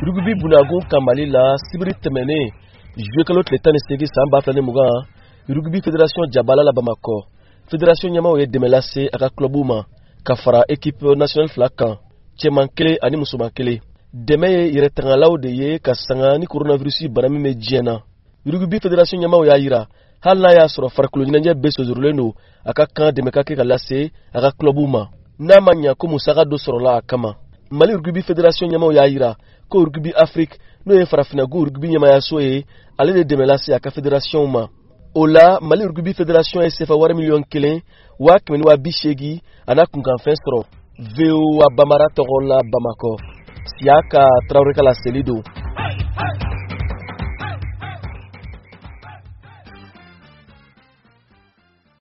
Rugby bunakun kan Mali la, sibiri tɛmɛnen, juillet kalo tile 18 san 2020, rugby fédération jabala la Bamakɔ, fédération ɲɛmaaw ye dɛmɛ lase a ka clubw ma ka fara équipe nationale fila kan, cɛman kelen ani musoman kelen. Dɛmɛ ye yɛrɛtangalaw de ye ka sanga ni coronavirus bana min bɛ diɲɛ na. Rugby fédération ɲɛmaaw y'a yira, hali n'a y'a sɔrɔ farikolo ɲɛnajɛ bɛɛ sonsorolen don, a ka kan dɛmɛ ka kɛ ka lase a ka clubw ma, n'a ma ɲa ko musaka dɔ sɔrɔla a kama. Mali rugby fédération ɲɛmaaw y'a yira ko Rugby Afrique, n'o ye farafinnagu rugby ɲɛmayaso ye, ale de dɛmɛ lase a ka fédération ma. O la, Mali rugby fédération ye sefa wari 1 180 000 a n'a kunkanfɛn sɔrɔ. VOA Bambara tɔgɔ la Bamakɔ, Siyaka Tarawele ka laseli don.